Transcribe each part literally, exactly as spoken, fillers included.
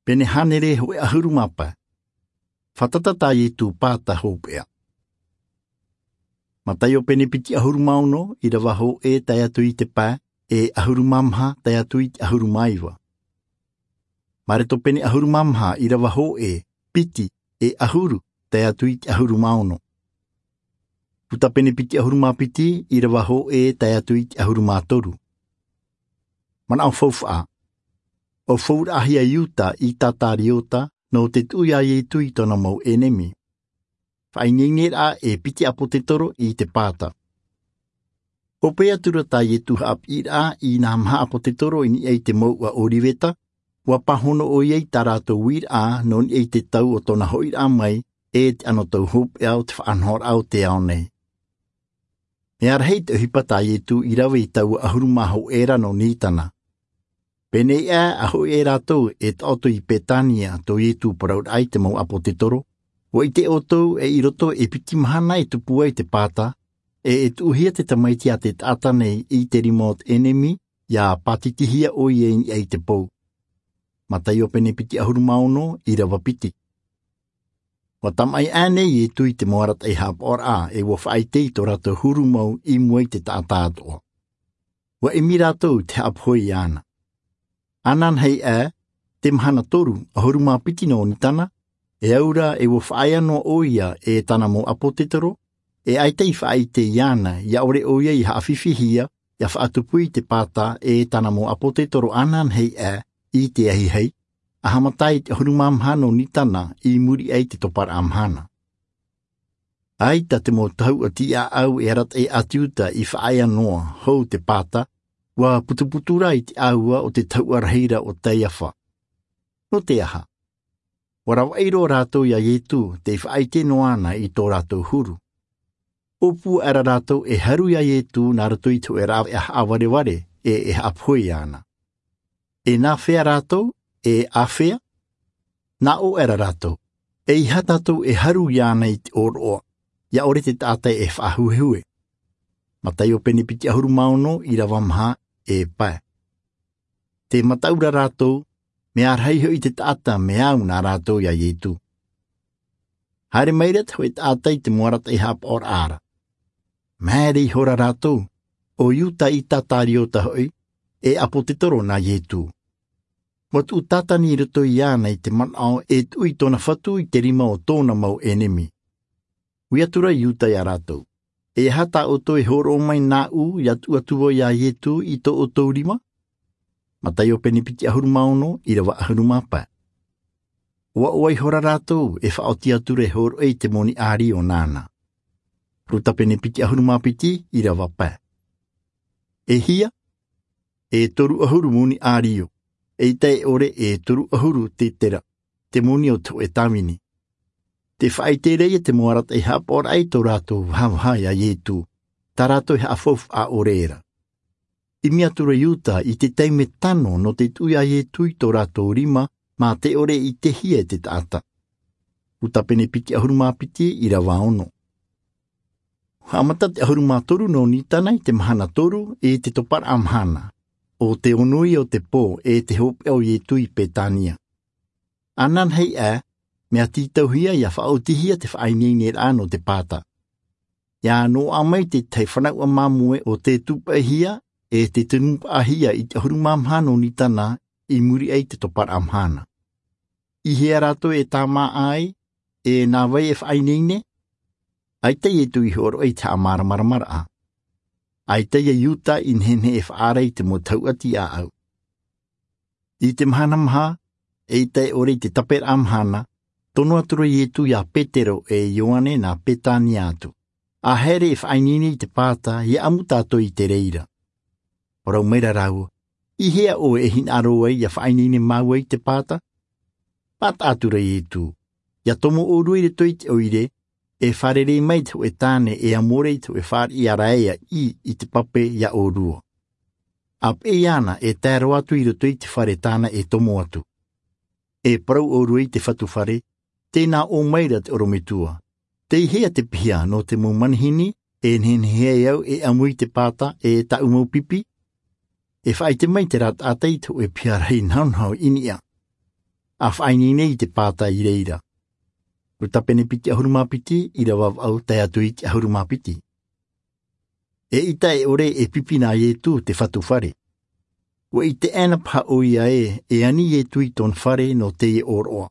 Pene hānere hōʻē ʻahuru mā pae. Fātata tā Ietu pāta hopeʻa. Mataio pene piti ʻahuru mā ono, ʻīrava hōʻē tae atu i te pae, e ʻahuru mā maha tae atu i te ʻahuru mā iva. Mareto pene ʻahuru mā maha, ʻīrava hōʻē, piti, e ʻahuru, tae atu i te ʻahuru mā ono. Luka pene piti ʻahuru mā piti, ʻīrava hōʻē tae atu i te ʻahuru mā toru. Manaʻo faufaʻa. ʻUa fauraʻahia Iuta ʻIkariota nō te tuʻu ia Ietu i tōna mau ʻenemi. Faʻaineineraʻa e piti ʻāpōsetolo i te pāta. Hope atu ra tā Ietu haʻapiʻiraʻa i nā maha ʻāpōsetolo i niʻa i te mouʻa ʻOriveta, ʻua pāhono ʻoia i tā rātou uiraʻa nō niʻa i te tau o tōna hoʻiraʻa mai, e te anotau hopeʻa o te faʻanahoraʻa o te ao nei. Mea rahi te ʻohipa tā Ietu i rave i taua ʻahuru mā hōʻē ra nō Nisana. Pēneiaʻe ʻa hoʻi e rātou e taʻoto i Petania tō Ietu parauraʻa i te mau ʻāpōsetolo, ʻua ʻite ʻoutou e i roto e piti mahana e tupu ai te pāta, e e tuʻuhia te Tamaiti a te taʻata nei i te rima o te ʻenemi, ʻia pātitihia ʻoia i niʻa i te pou. Mataio pene piti ʻahuru mā ono, ʻīrava piti. ʻUa tamaʻi aʻe nei Ietu i te mau arataʻi haʻapaʻoraʻa, e ʻua faʻaʻite i tō rātou huru mau i mua i te taʻata atoʻa. ʻUa ʻimi rātou te haʻapohe iāna. Ananahi aʻe, te mahana toru, ʻahuru mā piti nō Nisana, e au ra e ʻua faʻaea noa ʻoia e tāna mau ʻāpōsetolo, e ʻaita i faʻaʻite iāna, ʻia ʻore ʻoia i haʻafifihia, ʻia faʻatupu i te pāta e tāna mau ʻāpōsetolo ananahi aʻe i te ahiahi, ʻa haʻamata i te ʻahuru mā maha nō Nisana i muri aʻe i te toparaʻa mahana. ʻAita te mau tahuʻa tiʻaʻau e arataʻi a te Iuta i faʻaea noa, hou te pāta, ʻua putuputu ra i te ʻāua o te tahuʻa rahi ra o Kaiafa. Nō te aha? ʻUa ravaʻi roa rātou ia Ietu, tei faʻaʻite noa ana i tō rātou huru. ʻŌpū aʻera rātou e haru ia Ietu nā roto i te hōʻē rāveʻa haʻavarevare, e e haʻapohe iāna. E nāfea rātou, e āfea? Nā ʻō aʻera rātou, ʻeiaha tātou e haru iāna i te ʻōroʻa, ʻia ʻore te taʻata e faʻahuehue. Mataio pene piti ʻahuru mā ono, ʻīrava maha, e pae. Tē mataʻu ra rātou, mea rahi hoʻi te taʻata mea au nā rātou ia Ietu. Haere mai ra te hōʻē taʻata i te mau arataʻi haʻapaʻoraʻa ra. Māere ihora rātou, ʻo Iuta ʻIkariota hoʻi, e ʻāpōsetolo nā Ietu. ʻUa tuʻu Satani i roto iāna i te manaʻo e tuʻu i tōna Fatu i te rima o tōna mau ʻenemi. Ui atu ra Iuta ia rātou, ʻeiaha tā ʻoutou e hōroʻa mai nāʻu ʻia tuʻu atu vau ia Ietu i tō ʻoutou rima? Mataio pene piti ʻahuru mā ono, ʻīrava ʻahuru mā pae. ʻUa ʻoaʻoa ihora rātou e faʻaoti atu ra e hōroʻa i te moni ʻārio nāna. Luka pene piti ʻahuru mā piti, ʻīrava pae. E hia, e toru ʻahuru moni ʻārio, ʻeita e ʻore e toru ʻahuru tetera, te moni o te hōʻē tāvini. Tē faʻaʻite ra ia te mau arataʻi haʻapaʻoraʻa i tō rātou vahavaha ia Ietu, tā rātou e haʻafaufaʻa ʻore ra. ʻImi atu ra Iuta i te taime tano nō te tuʻu ia Ietu i tō rātou rima, mā te ʻore i ʻitehia e te taʻata. Luka pene piti ʻahuru mā piti, ʻīrava ono. Haʻamata te ʻahuru mā toru nō Nisana i te mahana toru i te toparaʻa mahana, ʻo te ono ia o te pō e te hopeʻa o Ietu i Petania. Ananahi aʻe, mea tītauhia ʻia faʻaotihia te faʻaineineraʻa nō te pāta. ʻIa noaʻa mai te tahi fanauʻa māmoe ʻo tē tūpaʻihia, e tē tunupaʻahia i te ʻahuru mā maha nō Nisana i muri aʻe i te toparaʻa mahana. I hea rātou e tāmāʻa ai, e nā vai e faʻaineine? ʻAita Ietu i hōroʻa i te haʻamāramaramaraʻa. ʻAita ia Iuta i nehenehe e faʻaara i te mau tahuʻa tiʻaʻau. I te mahana maha, ʻeita e ʻore i te taperaʻa mahana, tono atu ra Ietu ia Petero e Ioane nā Petania atu. ʻA haere e faʻaineine i te pāta, ʻia ʻamu tātou i te reira. Parau mai ra rāua, i hea ʻoe e hinaʻaro ai ʻia faʻaineine māua i te pāta? Pāta atu ra Ietu, ʻia tomo ʻōrua i roto i te ʻoire, e fārerei mai te hōʻē tāne e amo ra i te hōʻē fāriʻi ʻāraʻi ʻī i te pape ia ʻōrua. ʻA peʻe iāna e tae roa atu i roto i te fare tāna e tomo atu. E parau ʻōrua i te fatu fare, tē nā ʻō mai ra te ʻorometua. Tei hea te piha nō te mau manihini, e nehenehe ai au e ʻamu i te pāta e tāʻu mau pipi? E faʻaʻite mai terā taʻata i te hōʻē piha rahi nahonaho i niʻa. a faʻaineine i te pāta i reira. Luka pene piti ʻahuru mā piti, ʻīrava vaʻu tae atu i te ʻahuru mā piti. E ʻita e ʻore e pipi nā Ietu te fatu fare. Ua ʻite ʻaena paha ʻoia ē, e ani Ietu i tōna fare nō teie ʻōroʻa.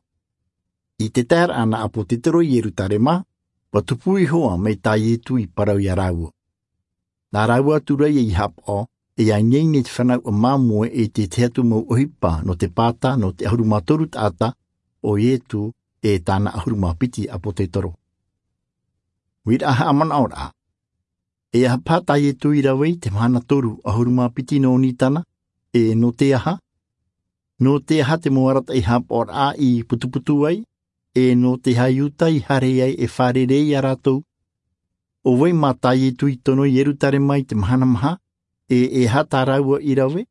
I te taeraʻa nā ʻApotetoro i Ierutarema, ua tupu iho ā mai tā Ietu i parau ia rāua. Nā rāua atu rā ia i haʻapaʻo, e ineine te fānau ʻa māmoe e te tahi atu mau ʻohipa nō te pāta nō te ʻahuru mā toru taʻata, ʻo Ietu e tāna ʻahuru mā piti ʻApotetoro. Uiraʻa haʻamanaʻoraʻa. E aha paha tā Ietu i rave i te mahana toru ʻahuru mā piti nō Nitana, e nō te aha? Nō te aha te mau arataʻi haʻapaʻoraʻa i putuputu ai, e nō te aha Iuta i haere ai e fārerei ia rātou? ʻO vai mā tā Ietu i tono i Ierutarema i te mahana maha, e e aha tā rāua i rave?